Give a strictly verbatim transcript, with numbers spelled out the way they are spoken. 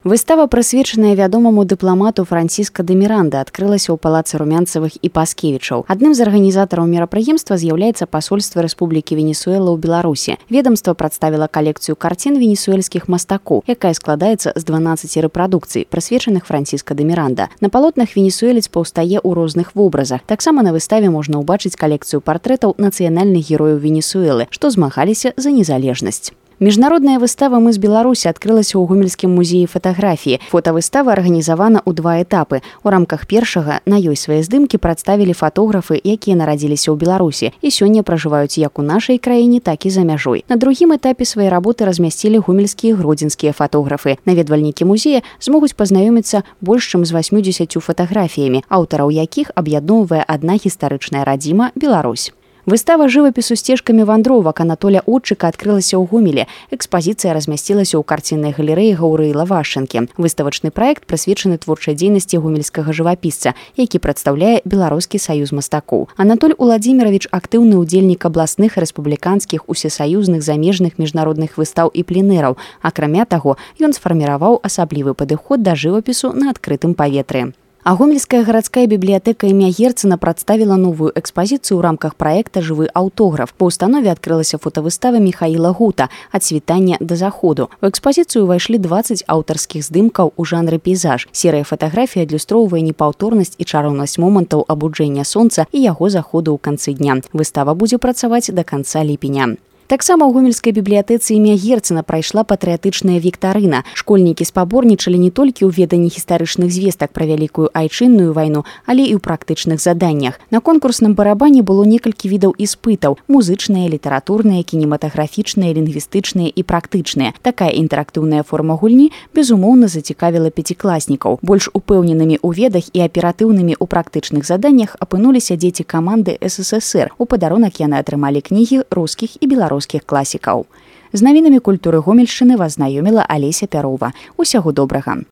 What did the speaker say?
Выстава, прысвечаная вядомаму дыпламату Франциска де Міранда, адкрылася ў палацы Румянцавых і Паскевічаў. Адным з арганізатараў мерапрыемства з'яўляецца пасольства Рэспублікі Венесуэла ў Беларусі. Ведамства прадставіла калекцыю карцін венесуэльскіх мастакоў, якая складаецца з дванаццаці рэпрадукцый, прысвечаных Франциска де Міранда. На палотнах венесуэлец паўстае ў розных вобразах. Таксама на выставе можна ўбачыць калекцыю партрэтаў нацыянальных герояў Венесуэлы, што змагаліся за незалежнасць. Міжнародная выстава «Мы з Беларусі» адкрылася ў Гомельскім музеі фатаграфіі. Фотавыстава арганізавана ў два этапы. У рамках першага на ёй свае здымкі прадставілі фатографы, якія нарадзіліся ў Беларусі і сёння пражываюць як у нашай краіне, так і за мяжой. На другім этапе свае работы размясцілі гомельскія і гродзенскія фатографы. Наведвальнікі музея змогуць пазнаёміцца больш чым з васьмідзесяццю фатаграфіямі, аўтараў якіх аб'ядноўвае адна гістарычная радзіма Беларусь. Выстава жывапісу сцежкамі вандровак Анатоля Отчыка адкрылася ў Гомелі. Экспазіцыя размясцілася ў карціннай галерэі Гаўрыла Вашчанкі. Выставачны праект прысвечаны творчай дзейнасці гомельскага жывапісца, які прадстаўляе Беларускі саюз мастакоў. Анатоль Уладзіміравіч актыўны ўдзельнік абласных, рэспубліканскіх, усесаюзных, замежных міжнародных выстаў і пленэраў. Акрамя таго, ён сфарміраваў асаблівы падыход да жывапісу на адкрытым паветры. А Гомельская гарадская бібліятэка імя Герцена прадставіла новую экспазіцыю ў рамках праекта «Жывы аўтограф». Па ўстанове адкрылася фотавыстава Міхаіла Гута «Ад світання да заходу». У экспазіцыю ўвайшлі дваццаць аўтарскіх здымкаў у жанры пейзаж. Серыя фатаграфій адлюстроўвае непаўторнасць і чароўнасць момантаў абуджэння сонца і яго заходу ў канцы дня. Выстава будзе працаваць да канца ліпеня. Таксама ў Гомельскай бібліятэцы імя Герцена прайшла патрыятычная віктарына. Школьнікі спаборнічалі не толькі ў веданні гістарычных звестак пра вялікую айчынную вайну, але і ў практычных заданнях. На конкурсным барабане было некалькі відаў іспытаў: музычныя, літаратурныя, кінематаграфічныя, лінгвістычныя і практычныя. Такая інтэрактыўная форма гульні, безумоўна, зацікавіла пяцікласнікаў. Больш упэўненымі ў ведах і аператыўнымі ў практычных заданнях апынуліся дзеці каманды эс эс эс эр. У падарунак яны атрымалі кнігі рускіх і беларускіх класікаў. З навінамі культуры Гомельшчыны вас знаёміла Алеся Пярова. Усяго добрага.